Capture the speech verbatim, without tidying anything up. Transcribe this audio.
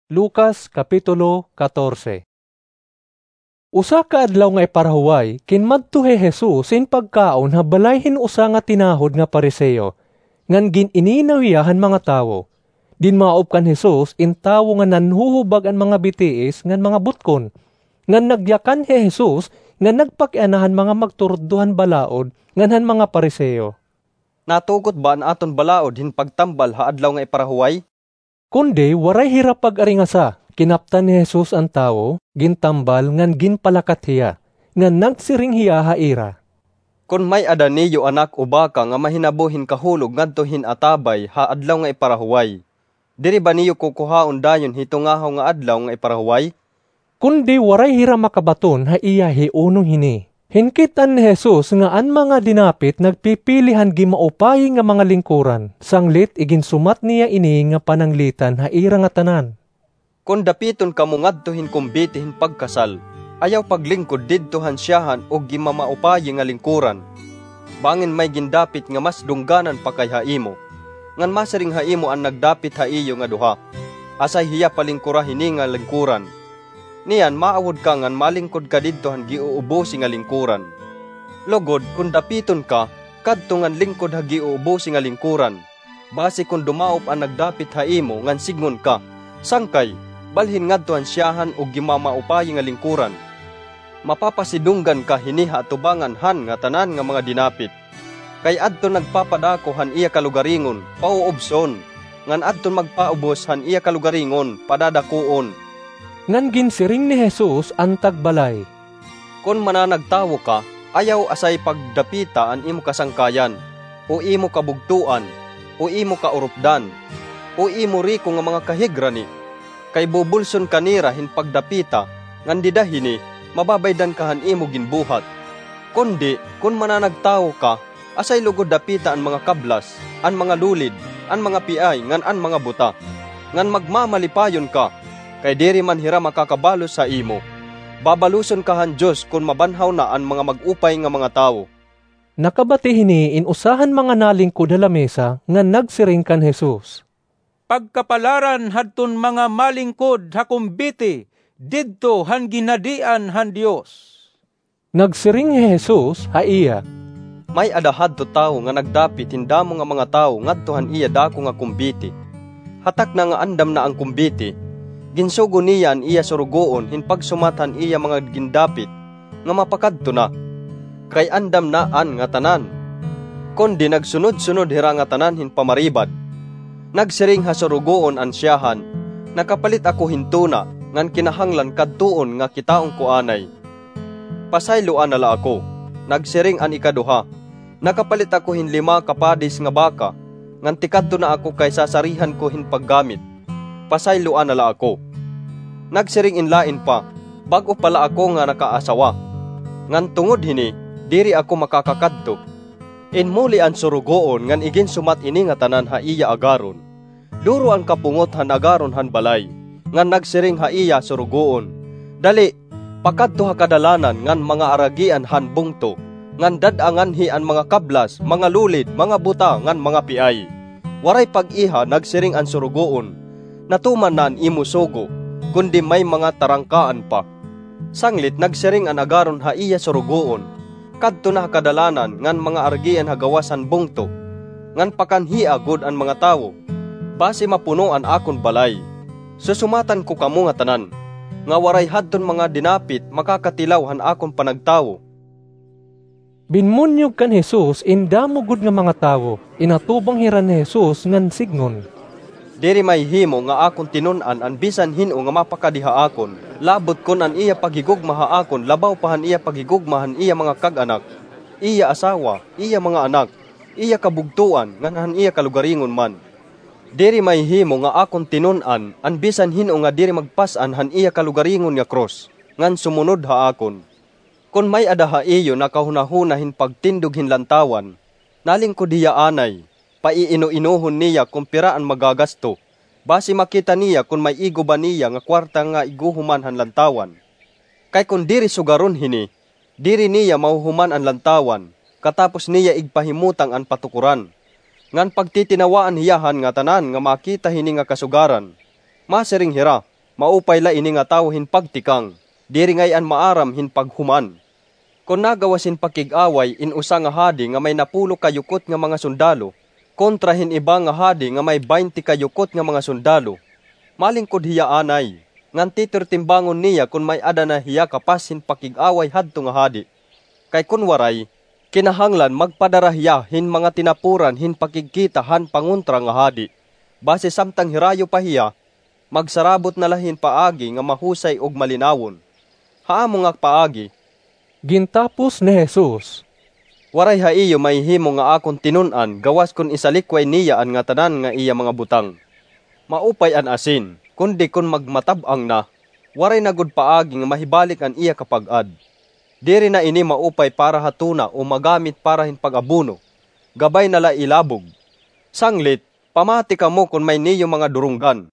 Lucas, Kapitulo katorse. Usa ka adlaw nga iparahuway, kinmadto hi Jesus hin pagkaon ha balay hin usa nga tinahod nga Fariseo, ngan gin-ininaw hiya han mga tawo. Dinmaop kan Jesus in tawo nga nanhuhubag an mga bitiis ngan mga butkon, ngan nagyakan hi Jesus nga nagpakiana han mga magturuddo han balaod ngan han mga Fariseo. Natugot ba an aton balaod hin pagtambal ha adlaw nga iparahuway? Kundi waray hira pag-aringasa, kinaptan ni Jesus an tawo, gintambal ngan ginpalakat hiya, ngan nagsiring hiya ha ira, "Kon may-ada niyo anak o baka nga mahinabo hin kahulog ngadto hin atabay ha adlaw nga iparahuway, diri ba niyo kukuhaon dayon hi tungahaw nga adlaw nga iparahuway?" Kundi waray hira makabaton ha iya hi unong hini. Hinkit-an ni Jesus nga an mga dinapit nagpipili han gimaupayi nga mga lingkuran, sanglit iginsumat niya ini nga pananglitan ha ira ngatanan. Kon dapiton kamo ngadto hin kumbiti hin pagkasal, ayaw paglingkod didto han syahan ug gimamaupayi nga lingkuran. Bangin may gindapit nga mas dungganan pa kay ha imo, ngan masiring ha imo an nagdapit ha iyo nga duha, "Asay hiya palingkora hini nga lingkuran." Niyan maawod ka ngan malingkod ka didto han giuubosi nga lingkuran. Lugod, kon dapiton ka, kadto ngan lingkod ha giuubosi nga lingkuran. Basi kon dumaop an nagdapit ha imo ngan sidngon ka, "Sangkay, balhin ngadto han syahan ug gimamaupayi nga lingkuran," mapapasidunggan ka hini ha atubangan han ngatanan nga mga dinapit. Kay adton nagpapadako han iya kalugaringon, pauubson, ngan adton magpaubos han iya kalugaringon, padadakuon. Ngan ginsiring ni Jesus an tagbalay, "Kon mananagtawo ka, ayaw asay pagdapita an imo kasangkayan, o imo kabugtoan, o imo kaurupdan, o imo riko nga mga kahigrani. Kay bubulson ka nira hin pagdapita, ngan dida hini, mababaydan ka han imo ginbuhat. Kundi, kon mananagtawo ka, asay lugod dapita an mga kablas, an mga lulid, an mga piay, ngan an mga buta, ngan magmamalipayon ka, kay diri man hira makakabalos ha imo. Babaluson ka han Dios kon mabanhaw na an mga mag-upay nga mga tawo." Nakabati hini in usa han mga nalingkod ha lamesa ngan nagsiring kan Jesus, "Pagkapalaran hadton mga malingkod ha kumbiti didto han ginhadian han Dios." Nagsiring hi Jesus ha iya, "May-ada hadto tawo nga nagdapit hin damo nga mga tawo ngadto han iya dako nga kumbiti. Ha takna nga andam na an kumbiti, ginsugo niya an iya surugoon hin pagsumat han iya mga gindapit nga mapakadto na, kay andam na an ngatanan. Kundi nagsunod-sunod hira ngatanan hin pamaribad. Nagsiring ha surugoon an syahan, 'Nakapalit ako hin tuna, ngan kinahanglan kadtuon nga kitaon ko anay.' 'Pasayloa na la ako,' nagsiring an ikaduha. 'Nakapalit ako hin lima ka padis nga baka, ngan tikadto na ako kay sasarihan ko hin paggamit. Pasayloa na la ako.' Nagsiring in lain pa, 'Bag-o pa la ako nga nakaasawa, ngan tungod hini, diri ako makakakadto.' Inmuli an surugoon ngan iginsumat ini ngatanan ha iya agaron. Duro an kapungot han agaron han balay, ngan nagsiring ha iya surugoon, 'Dali, pakadto ha kadalanan ngan mga aragian han bungto, ngan dad-a nganhi an mga kablas, mga lulid, mga buta, ngan mga piay.' 'Waray pag-iha,' nagsiring an surugoon, 'natuman na an imo sugo, kundi may mga tarangkaan pa.' Sanglit nagsiring an agaron ha iya surugoon, 'Kadto na ha kadalanan ngan mga aragian ha gawas han bungto, ngan pakanhia gud an mga tawo, basi mapuno an akon balay. Susumatan ko kamo ngatanan, nga waray hadton mga dinapit makakatilaw han akon panagtawo.'" Binmunyog kan Jesus in damo gud nga mga tawo. Inatubang hira ni Jesus ngan sidngon, "Diri mahihimo nga akon tinun-an an bisan hin-o nga mapakadi ha akon, labot kon an iya paghigugma ha akon labaw pa han iya paghigugma han iya mga kag-anak, iya asawa, iya mga anak, iya kabugtoan, ngan han iya kalugaringon man. Diri mahihimo nga akon tinun-an an bisan hin-o nga diri magpas-an han iya kalugaringon nga krus, ngan sumunod ha akon. Kon may-ada ha iyo nakahunahuna hin pagtindog hin lantawan, nalingkod hiya anay, paiino-inohon niya kon pira an magagasto, basi makita niya kon may igo ba niya nga kwarta nga iguhuman han lantawan. Kay kon diri sugaron hini, diri niya mahuhuman an lantawan, katapos niya igpahimutang an patukoran. Ngan pagtitinawaan hiya han ngatanan nga makita hini nga kasugaran. Masiring hira, Maupay la ini nga tawo hin pagtikang, diri ngay-an maaram hin paghuman. Kon nagawas hin pakig-away in usa nga hadi nga may napulo ka yukot nga mga sundalo, kontra hin iba nga hadi nga may baynte ka yukot nga mga sundalo, malingkod hiya anay, ngan titirtimbangon niya kon may-ada na hiya kapas hin pakig-away hadto nga hadi. Kay kon waray, kinahanglan magpadara hiya hin mga tinapuran hin pakigkita han pangontra nga hadi. Basi samtang hirayo pa hiya, magsarabot na la hin paagi nga mahusay ug malinawon. Ha amo nga paagi, gintapos ni Jesus, waray ha iyo mahihimo nga akon tinun-an gawas kon isalikway niya an ngatanan nga iya mga butang. Maupay an asin, kundi kon magmatab-ang na, waray na gud paagi nga mahibalik an iya kapag-ad. Diri na ini maupay para ha tuna o magamit para hin pag-abono. Gabay na la ilabog. Sanglit, pamati kamo kon may niyo mga durunggan.